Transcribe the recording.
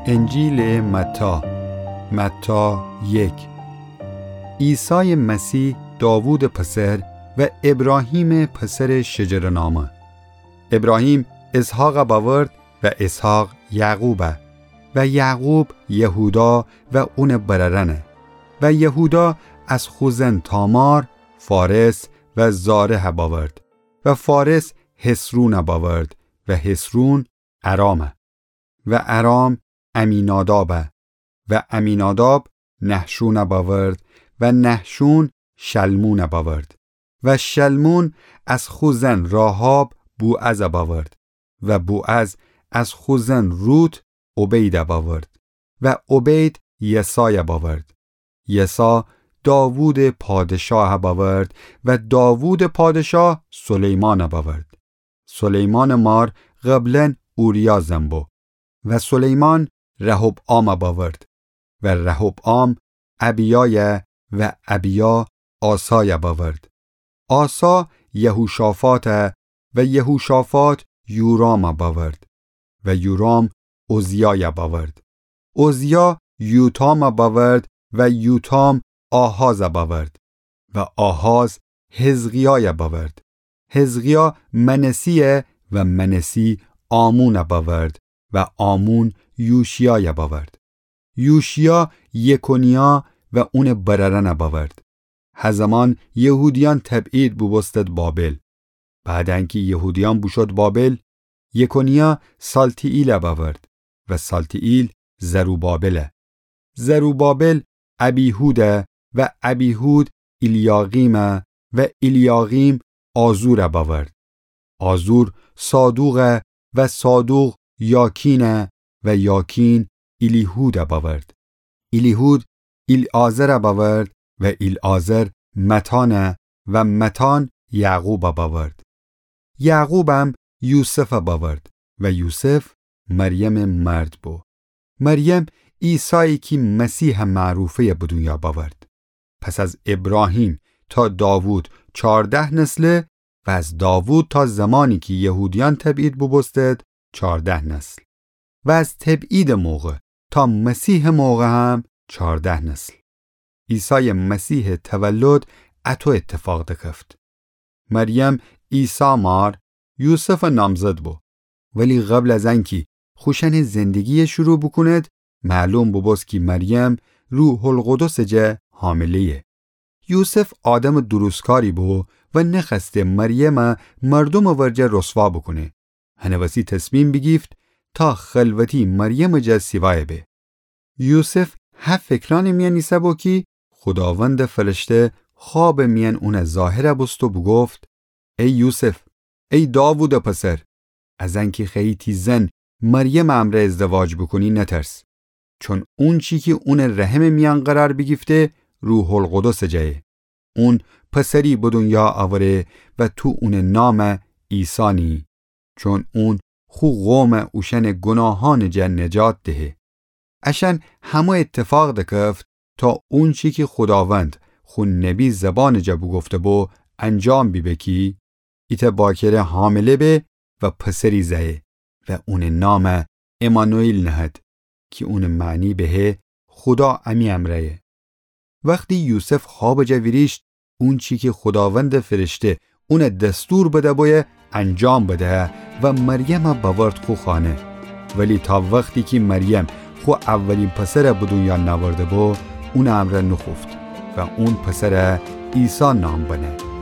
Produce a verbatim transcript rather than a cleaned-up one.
انجیلٚ متی. متی یک. عیسایٚ مسیح، داوودٚ پسر و ابراهیمٚ پسرٚ شجره‌نامه. ابراهیم اسحاقَ بأورد و اسحاق یعقوبَ و یعقوب یهودا و اونٚ برأرأنَ و یهودا از خو زن تامار فارس و زارحَ بأورد و فارس حصرونَ بأورد و حصرون ارامَ و ارام عمینادابَ و عمیناداب نحشونَ بأورد و نحشون شلمونَ بأورد و شلمون از خو زن راحاب بوعزَ بأورد و بوعز از خو زن روت عبیدَ بأورد و عبید یسایَ بأورد. یسا داوودٚ پادشاهَ بأورد و داوودٚ پادشاه سلیمانَ بأورد. سلیمانٚ مار قبلاً اوریا زن بو و سلیمان رحبعامَ بأورد و رحبعام ابیایَ و ابیا آسایَ بأورد. آسا یهوشافاطَ و یهوشافاط یورامَ بأورد و یورام عزیایَ بأورد. عزیا یوتامَ بأورد و یوتام آحازَ بأورد و آحاز حزقیایَ بأورد. حزقیا منسی‌یَ و منسی آمونَ بأورد و آمون یوشیایَ بأورد. یوشیا یکونیا و اونٚ برأرأنَ بأورد. هه زمان یهودیأن تبعید بوبوستد بابل. بعد انکی یهودیأن بوشود بابل، یکونیا سالتیئیلَ بأورد و سالتیئیل زروبابلَ. زروبابل ابیهودَ و ابیهود ایلیاقیمَ و ایلیاقیم آزورَ بأورد. آزور صادوقَ و صادوق یاکینَ و یاکین ایلیهودَ بأورد. ایلیهود ایلعازرَ بأورد و ایلعازر متانَ و متان یعقوبَ بأورد. یعقوبم یوسفَ بأورد و یوسف مریمٚ مرد بو. مریم عیسایی کی مسیحٚ معروفه‌یَ به دونیا بأورد. پس از ابراهیم تا داوود چارده نسله و از داوود تا زمانی کی یهودیأن تبعید بوبوستد چارده نسل و از تبعیدٚ موقع تا مسیحٚ موقع هم چارده نسل. عیسایٚ مسیحٚ تولد اطو اتفاق دکفت. مریم عیسی مار یوسفٚ نامزد بو. ولی قبل از انکی خوشأنٚ زندگی‌یَ شروع بوکوند، معلوم بوبوست کی مریم روح‌القدسٚ جا حامله‌یه. یوسف آدمٚ درستکاری بو و نخوأسته مریمَ مردومٚ ورجه رسوا بوکونه. هنٚ وسی تصمیم بیگیفت تا خلوتی مریمٚ جا سیوایَ به. یوسف هه فکرأنٚ میأن ایسه بو کی خوداوندٚ فرشته خوابٚ میأن اونَ ظاهرَ بوست و بوگفت: ای یوسف، ای داوودٚ پسر، از انکی خوأیی تی زن مریمٚ امرأ ازدواج بوکونی نترس، چون اونچی کی اونٚ رحمٚ میأن قرار بیگیفته روح‌القدسٚ جایه. اون پسری به دونیا اوره و تو اونٚ نامَ عیسی نییی، چون اون خو قومَ اوشأنٚ گوناهأنٚ جا نجات دهه. اشأن همه اتفاق دکفت تا اونچی کی خوداوند خو نبی زبانٚ جا بوگفته‌بو انجام بیبه کی ایتأ باکره حامله به و پسری زأیه و اونٚ نامَ عمانوئیل نهد، کی اونٚ معنی بهه خودا امی امرأیه. وختی یوسف خوابٚ جا ویریشت، اونچی کی خوداوندٚ فرشته اونَ دستور بده‌بویه انجام بده و مریمَ بأورد خو خانه. ولی تا وختی کی مریم خو اولی پسرَ به دونیا نأورده‌بو، اونٚ امرأ نوخوفت و اون پسرَ عیسی نام بنه.